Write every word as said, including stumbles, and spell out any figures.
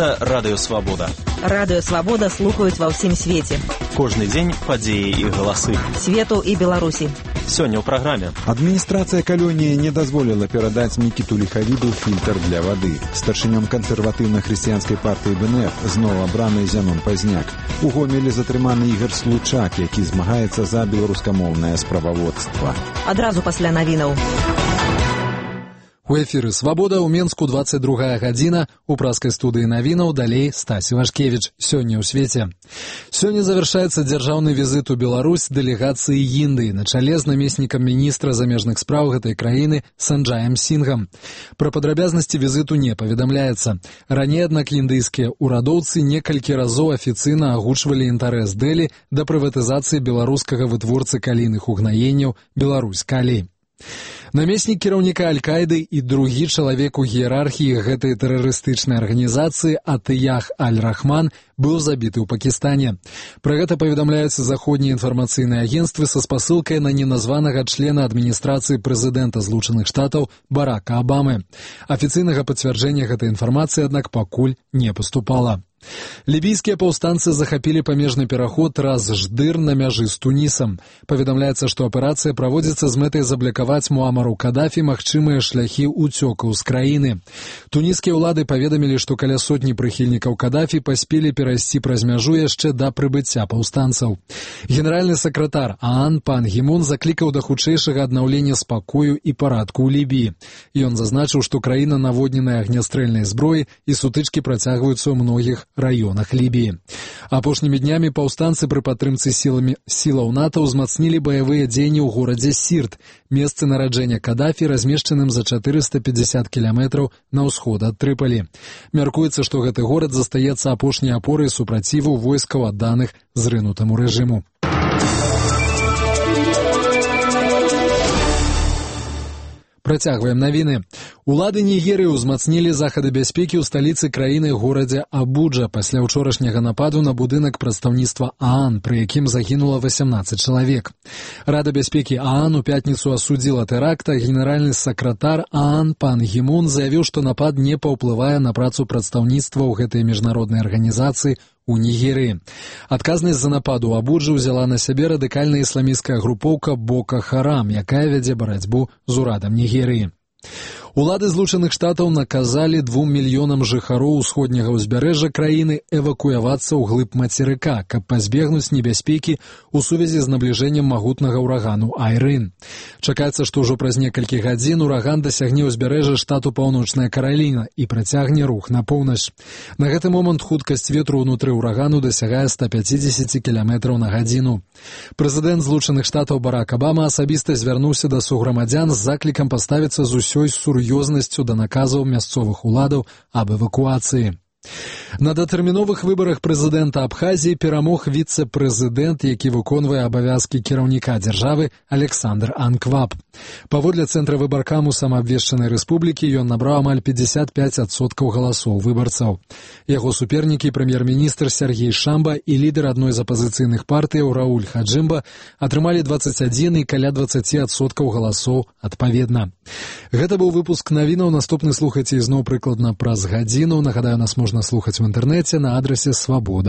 Гэта Радыё Свабода. Радыё Свабода слухаюць ва ўсім свеце. Кожны дзень падзеі і галасы. Свету і Беларусі. Сёння ў праграме. Адміністрацыя калоніі не дазволіла перадаць Мікіту Ліхавіду фільтр для вады. Старшынём кансерватыўна-хрысціянскай партыі бэ эн эф зноў абраны Зянон Пазняк. У Гомелі затрыманы Ігар Случак, які змагаецца за беларускамоўнае справаводства. Адразу пасля навінаў. У эфіры «Свабода» ў Менску двадцать другая гадзіна. У праскай студыі навінаў далей Стась Івашкевіч. Сёння ў свеце. Сёння завяршаецца дзяржаўны візіт у Беларусь дэлегацыі Індыі на чале з намеснікам міністра замежных спраў гэтай краіны Санджаем Сінгам. Пра падрабязнасці візіту не паведамляецца. Раней, аднак, індыйскія ўрадоўцы некалькі разоў афіцыйна агучвалі інтарэс Дэлі да прыватызацыі беларускага вытворцы калійных угнаенняў «Беларусь Калій». Намеснік кіраўніка Аль-Каіды і другі чалавек у іерархіі гэтай тэрарыстычнай арганізацыі Атыях Аль-Рахман быў забіты ў Пакістане. Пра гэта паведамляюцца заходнія інфармацыйныя агенцтвы са спасылкай на неназванага члена адміністрацыі прэзідэнта Злучаных Штатаў Барака Абамы. Афіцыйнага пацвярджэння гэтай інфармацыі, аднак, пакуль не паступала. Лібійскія паўстанцы захапілі памежны пераход Раз-Ждыр на мяжы з Тунісам. Паведамляецца, што аперацыя праводзіцца з мэтай заблакаваць Муамару Кадафі магчымыя шляхі ўцёкаў з краіны. Туніскія ўлады паведамілі, што каля сотні прыхільнікаў Кадафі паспелі перайсці праз мяжу яшчэ да прыбыцця паўстанцаў. Генеральны сакратар ААН пан Гімун заклікаў да хутчэйшага аднаўлення спакою і парадку ў Лібіі. Ён зазначыў, што краіна наводненая агнястрэльнай зброяй і сутычкі працягваюцца ў многіх раёнах Лібіі. Апошнімі днямі паўстанцы пры падтрымцы сіламі сілаў НАТО ўзмацнілі баявыя дзеянні ў горадзе Сірт, месцы нараджэння Кадафі, размешчаным за чатырыста пятьдесят кіламетраў на ўсход ад Трыпалі. Мяркуецца, што гэты горад застаецца апошняй апорай супраціву войскаў, адданых зрынутаму рэжыму. Працягваем навіны. Улады Нігерыі ўзмацнілі захады бяспекі ў сталіцы краіны горадзе Абуджа пасля ўчорашняга нападу на будынак прадстаўніцтва ААН, пры якім загінула восемнадцать чалавек. Рада бяспекі ААН у пятніцу асудзіла тэракт, а генеральны сакратар ААН пан Гімун заявіў, што напад не паўплывае на працу прадстаўніцтва ў гэтай міжнароднай арганізацыі у Нігерыі. Адказнасць за напад у Абуджы ўзяла на сябе радыкальная ісламісцкая групоўка Бока Харам, якая вядзе барацьбу з урадам Нігерыі. Улады Злучаных Штатаў наказалі двум мільёнам жыхароў усходняга ўзбярэжжа краіны эвакуявацца ў глыб мацерыка, каб пазбегнуць небяспекі ў сувязі з набліжэннем магутнага ўрагану Айрын. Чакаецца, што ўжо праз некалькі гадзін ураган дасягне ўзбярэжжа штату Паўночная Караліна і працягне рух на поўнач. На гэты момант хуткасць ветру ўнутры ўрагану дасягае сто пятьдесят кіламетраў на гадзіну. Прэзідэнт Злучаных Штатаў Барак Абама асабіста звярнуўся да суграмадзян з заклікам паставіцца з усёй сур'ёзнасцю да наказаў мясцовых уладаў аб эвакуацыі. На датэрміновых выбарах прэзідэнта Абхазіі перамог віцэ-прэзідэнт, які выконвае абавязкі кіраўніка дзяржавы, Александр Анкваб. Паводле цэнтра выбаркаму самаабвешчанай рэспублікі ён набраў амаль пятьдесят пять адсоткаў галасоў выбарцаў. Яго супернікі, прэм'ер-міністр Сергей Шамба і лідар адной з апазіцыйных партыяў Рауль Хаджымба, атрымалі двадцать один і каля двадцать адсоткаў галасоў адпаведна. Гэта быў выпуск навінаў. Наступны слухайце ізноў прыкладна праз гадзіну. Нагадаю, нас можна слухаць в інтэрнэце на адрасе Свабода.